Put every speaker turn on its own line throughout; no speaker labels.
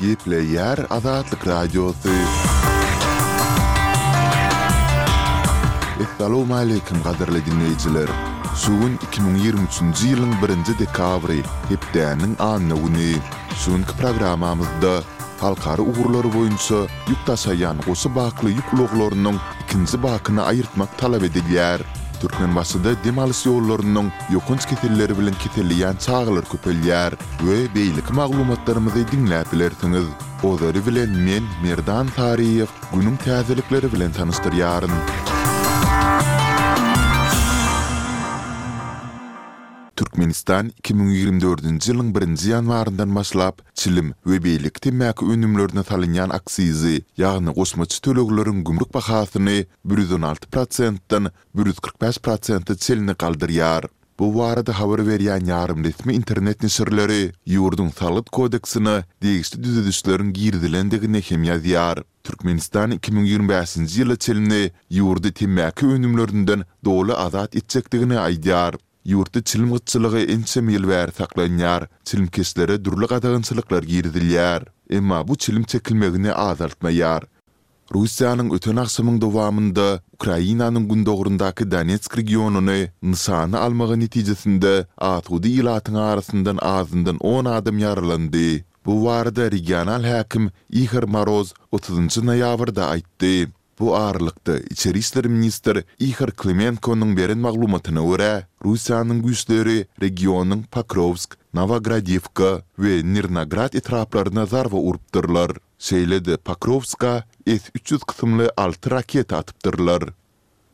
Gepleýär Azatlyk Radiosy. Essalawmaleýkim gadyrly diňleýjiler! Şu gün 2023-nji ýylyň birinji dekabry, hepdäniň anna güni. Şu günki programmamyzda halkara ugurlary boýunça ýük daşaýan goşa bakly ýük ulaglarynyň ikinji bakyny aýyrtmak talap edilýär. Türkmenbaşyda dem alyş ýollarynyň ýokanç keselleri bilen keselleýän çagalar köpelýär we beýleki maglumatlarymyzy diňläp bilersiňiz. Ozaly bilen men, Merdan Saryýew, günüň täzelikleri bilen tanyşdyrýaryn. Türkmenistan 2024-nji ýylyň birinji ýanwaryndan başlap, çilim we beýleki temmäki önümlerine salynýan aksizi, ýagny goşmaça tölegleriň gümrük bahasyny 116 prosentden 145 prosente çenli galdyrýar. Bu barada habar berýän ýarym resmi internet neşirleri ýurduň Salgyt kodeksine degişli düzedişleriň girizilendigini hem ýazýar. Türkmenistan 2025-nji ýyla çenli ýurdy temmäki önümlerinden doly azat etjekdigini aýdýar. Ýurtda çilim gytçylygy ençeme ýyl bäri saklanýar, çilimkeşlere dürli gadagançylyklar girizilýär. Emma bu çilim çekilmegini azaltmaýar. Russiýanyň öten agşamyň dowamynda Ukrainanyň gündogaryndaky Donetsk regionyny nyşana almagy netijesinde asuda ilatyň arasyndan azyndan on adam ýaralandy. Bu barada regional häkim Ihor Moroz otuzynjy noýabrda aýtdy. Bu aralykda, içeri işler ministr Ihor Klimenkonyň beren maglumatyna görä, Russiýanyň güýçleri regionyň Pokrowsk, Nowogradiwka we Nirnograd etraplaryna zarba urupdyrlar. Şeýle-de Pokrowska S 300 kysymly alty raketa atypdyrlar.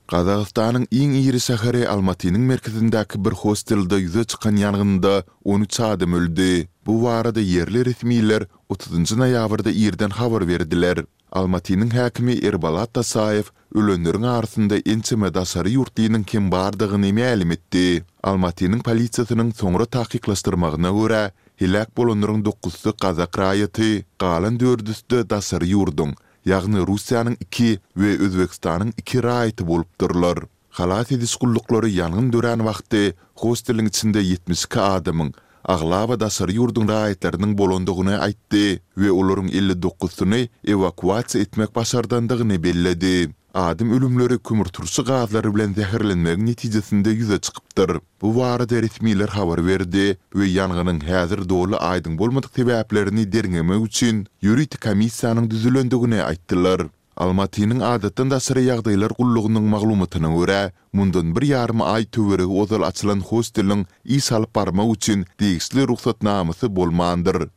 Gazagystanyň iň iri şäheri Almatynyň merkezindäki bir hostelde ýüze çykan ýangynda 13 adam öldi. Bu barada ýerli resmiler otuzynjy noýabrda irden habar berdiler. Almatynyň häkimi Erbolat Dosaýew ölenleriň arasynda ençeme daşary ýurtlynyň hem bardygyny mälim etdi. Almatynyň polisiýasynyň soňra takyklaşdyrmagyna görä, heläk bolanlaryň dokuzysy gazak raýaty, galan dördüsi-de daşary ýurduň, ýagny Russiýanyň iki we Özbegistanyň iki raýaty bolupdyrlar. Halas ediş gulluklary ýangyn dörän wagty hosteliň içinde 72 adamyň, aglaba daşary ýurduň raýatlarynyň bolandygyny aýtdy we olaryň 59-syny ewakuasiýa etmek başardandygyny belledi. Adam ölümleri kömürturşy gazlary bilen zäherlenmegiň netijesinde ýüze çykypdyr. Bu barada resmiler habar berdi we ýangynyň häzir doly aýdyň bolmadyk sebäplerini derňemek üçin ýörite komissiýanyň düzülendigini aýtdylar. Almatynyň Adatdan daşary ýagdaýlar gullugynyň maglumatyna görä, mundan bir ýarym aý töweregi ozal açylan hosteliň iş alyp barmak üçin degişli rugsatnamasy bolmandyr.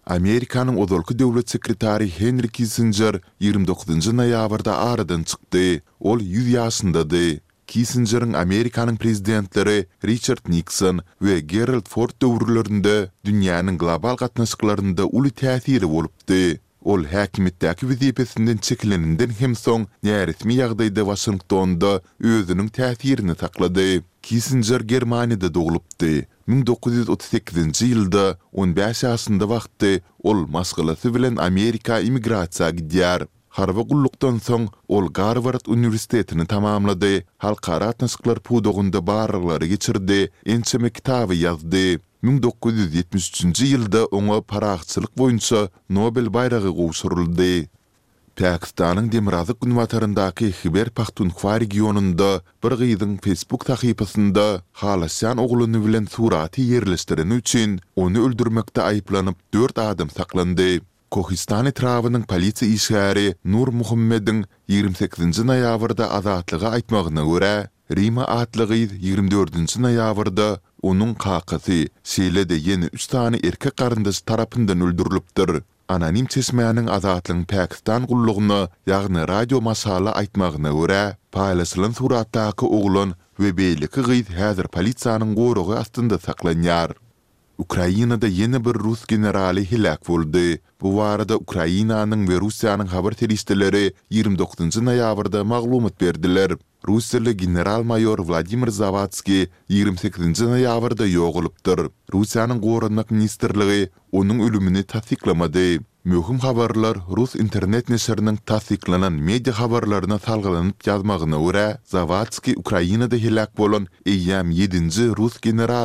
Amerikanyň ozalky döwlet sekretary Henri Kissinjer 29 noýabrda aradan çykdy. Ol 100 ýaşyndady. Kissinjeriň Amerikanyň prezidentleri Riçard Nikson we Gerald Ford döwürlerinde dünýäniň global gatnaşyklarynda uly täsiri bolupdy. Ol häkimiýetdäki wezipesinden çekileninden hem soň näresmi ýagdaýda Waşingtonda özüniň täsirini saklady. Kissinjer Germaniýada doglupdy. 1938-nji ýylda on bäş ýaşynda wagty ol maşgalasy bilen Amerika immigrasiýa gidýär. Harby gullukdan soň ol Garward uniwersitetini tamamlady, halkara gatnaşyklar pudagynda barlaglary geçirdi, ençeme kitaby ýazdy. 1973-nji ýylda oňa parahatçylyk boýunça Nobel baýragy gowşuryldy. Pakistanyň demirgazyk-günbataryndaky Hiber-Pahtunhwa regionynda bir gyzyň Facebook sahypasynda halaşýan oglany bilen suraty ýerleşdireni üçin, ony öldürmekde aýyplanyp, dört adam saklandy. Kohistan etrabynyň polisiýa işgäri Nur Muhammediň 28-nji noýabrda Azatlyga aýtmagyna görä, Rima atly gyz 24-nji noýabrda onuň kakasy, şeýle-de ýene üç sany erkek garyndaşy tarapyndan öldürilipdir. Anonim çeşmäniň Azatlygyň Pakistan gullugyna, ýagny Radio Maşala aýtmagyna görä, paýlaşylan suratdaky oglan we beýleki gyz häzir polisiýanyň goragy astynda saklanýar. Ukrainada ýene bir rus generaly heläk boldy. Bu barada Ukrainanyň we Russiýanyň habar serişdeleri 29 noýabrda maglumat berdiler. Russiýaly general-maýor Wladimir Zawadskiý 28 noýabrda ýogalypdyr. Russiýanyň Goranmak ministrligi onuň ölümini tassyklamady. Möhüm habarlar rus internet neşiriniň tassyklanan media habarlaryna salgylanyp ýazmagyna görä, Zawadskiý Ukrainada heläk bolan eýýäm ýedinji rus generalydyr.